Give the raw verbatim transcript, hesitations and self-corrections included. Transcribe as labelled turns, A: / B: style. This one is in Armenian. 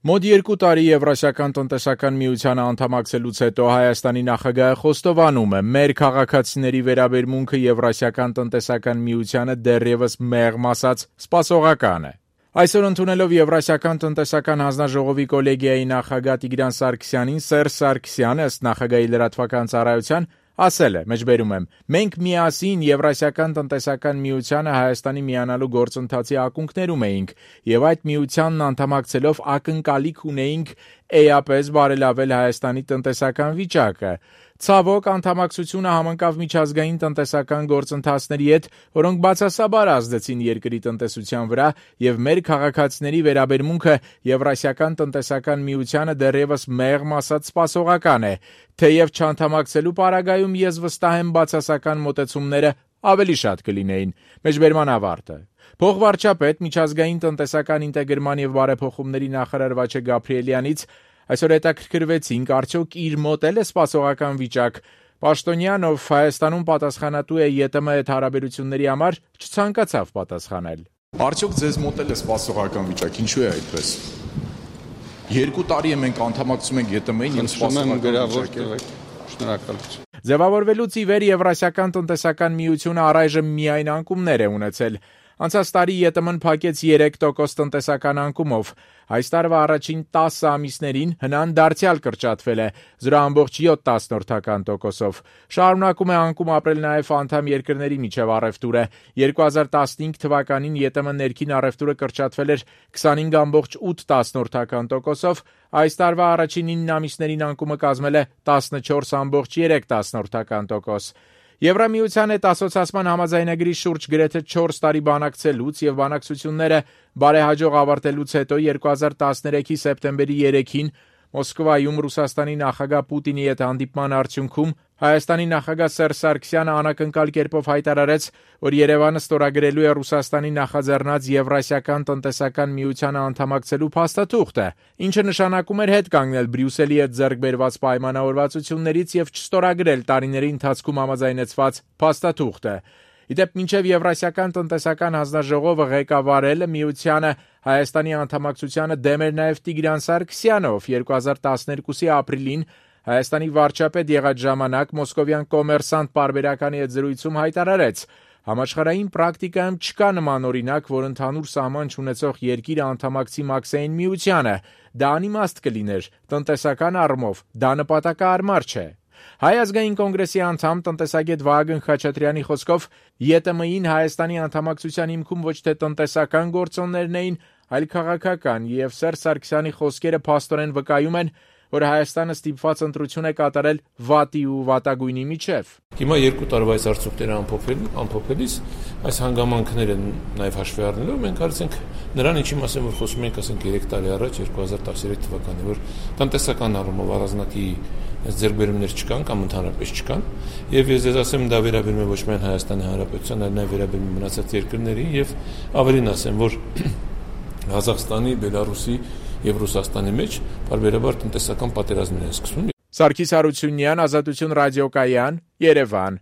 A: Մոտ երկու տարի Եվրասիական տնտեսական միությանը անդամակցելուց հետո Հայաստանի նախագահը խոստովանում է, մեր քաղաքացիների վերաբերմունքը Եվրասիական տնտեսական միությանը դեռևս մեղմ ասած սպասողական է։ Այսօր ընդունելով Եվրասիական տնտեսական հանձնաժողովի կոլեգիայի նախագահ Տիգրան Սարգսյանին, Սերժ Սարգսյանը ըստ նախագահի լրատվական ծառայության ասել է, մեջբերում եմ, մենք միասին Եվրասիական տնտեսական միությանը Հայաստանի միանալու գործընթացի ակունքներում էինք եւ այդ միությանն անդամակցելով ակնկալիք ունեինք էապես բարելավել Հայաստանի տնտեսական վիճակը։ Ցավոք, անդամակցությունը համընկավ միջազգային տնտեսական գործընթացների հետ, որոնք բացասաբար ազդեցին երկրի տնտեսության վրա եւ մեր քաղաքացիների վերաբերմունքը Եվրասիական տնտեսական միությանը դեռևս մեղմ ասած սպասողական է, թեև չանդամակցելու պարագայում ես վստահ եմ բացասական մոտեցումները ավելի շատ կլինեին։ Մեջբերման ավարտը։ Փոխվարչապետ, միջազգային տնտեսական ինտեգրման եւ բարեփոխումների նախարար Վաչե Գաբրիելյանից այսօր հետաքրքրվեցինք, արդյոք իր մոտ էլ է սպասողական վիճակ։ Պաշտոնյան, ով Հայաստանում պատասխանատու է ԵՏՄ հետ հարաբերությունների համար, չցանկացավ պատասխանել։
B: Արդյոք ձեզ մոտ էլ է սպասողական վիճակ, ինչու է այդպես։ Երկու տարի է մենք անդամակցում ենք ԵՏՄ-ին եւ սպասողական վիճակ է։
A: Շնորհակալություն։ Ձևավորվելուց ի վեր Եվրասիական տնտեսական միությունը առայժմ միայն անկումներ է ունեցել։ Անցած տարի ԵՏՄ-ն փակեց երեք տոկոս տնտեսական անկումով։ Այս տարվա առաջին տասը ամիսներին հնան դարձյալ կրճատվել է զրո կόμμα յոթ տոկոսով։ Շարունակում է անկում ապրել նաև անդամ երկրների միջև առևտուրը։ երկու հազար տասնհինգ թվականին ԵՏՄ ներքին առևտուրը կրճատվել էր քսանհինգ կόμма ութ տոկոսով, այս տարվա առաջին ինը ամիսներին անկումը կազմել է տասնչորս կόμμα երեք տոկոս։ Եվրամիության հետ ասոցիացման համաձայնագրի շուրջ գրեթե չորս տարի բանակցելուց եւ բանակցությունները բարեհաջող ավարտելուց հետո երկու հազար տասներեքի սեպտեմբերի երեքին Մոսկվայում Ռուսաստանի նախագահ Պուտինի հետ հանդիպման արդյունքում Հայաստանի նախագահ Սերժ Սարգսյանը անակնկալ կերպով հայտարարեց, որ Երևանը ստորագրելու է Ռուսաստանի նախաձեռնած Եվրասիական տնտեսական միությանը անդամակցելու փաստաթուղթը, ինչը նշանակում էր հետ կանգնել Բրյուսելի հետ ձեռք բերված պայմանավորվածություններից եւ չստորագրել տարիների ընթացքում համաձայնեցված փաստաթուղթը։ Իդեպ մինչև Եվրասիական տնտեսական հանձնաժողովը ղեկավարել միությանը Հայաստանի անդամակցությանը դեմ էր նաև Տիգրան Սարգսյանը, ով երկու հազար տասներկուսի ապրիլին Հայաստանի վարչապետ եղած ժամանակ Մոսկովյան Կոմերսանտ պարբերականի հետ զրույցում հայտարարեց. Համաշխարհային պրակտիկայում չկա նման օրինակ, որ ընդհանուր սահման չունեցող երկիրը անդամակցի մաքսային միությանը։ Դա անիմաստ կլիներ, տնտեսական առումով դա նպատակահարմար չէ։ Հայ ազգային կոնգրեսի անդամ տնտեսագետ Վահագն Խաչատրյանի խոսքով ԵՏՄ-ին Հայաստանի անդամակցության հիմքում ոչ թե տնտեսական գործոններն էին, այլ քաղաքական, եւ Սերժ Սարգսյանի խոսքերը փաստորեն վկայում են, որ Հայաստանը ստիպված ընտրություն է կատարել վատի ու վատագույնի միջև։
C: Հիմա երկու տարվա այս արդյունքները ամփոփել, ամփոփելիս այս հանգամանքները նաև հաշվի առնելով մենք արեցինք նրան, ինչի մասին որ խոսում ենք, ասենք երեք տարի առաջ երկու հազար տասներեք թվականին, որ տնտեսական առումով առանձնակի ձեռքբերումներ չկան կամ ընդհանրապես չկան, եւ ես ձեզ ասեմ, դա վերաբերում է ոչ միայն Հայաստանի Հանրապետության, այլ նաև վերաբերում է մնացած երկրներին եւ ավելին ասեմ, որ Ղազախստանի, Բելարուսի եւ Ռուսաստանի մեջ բարբերաբար տնտեսական պատերազմներ են սկսվում։
A: Սարգիս Հարությունյան, Ազատություն ռադիոկայան, Երևան։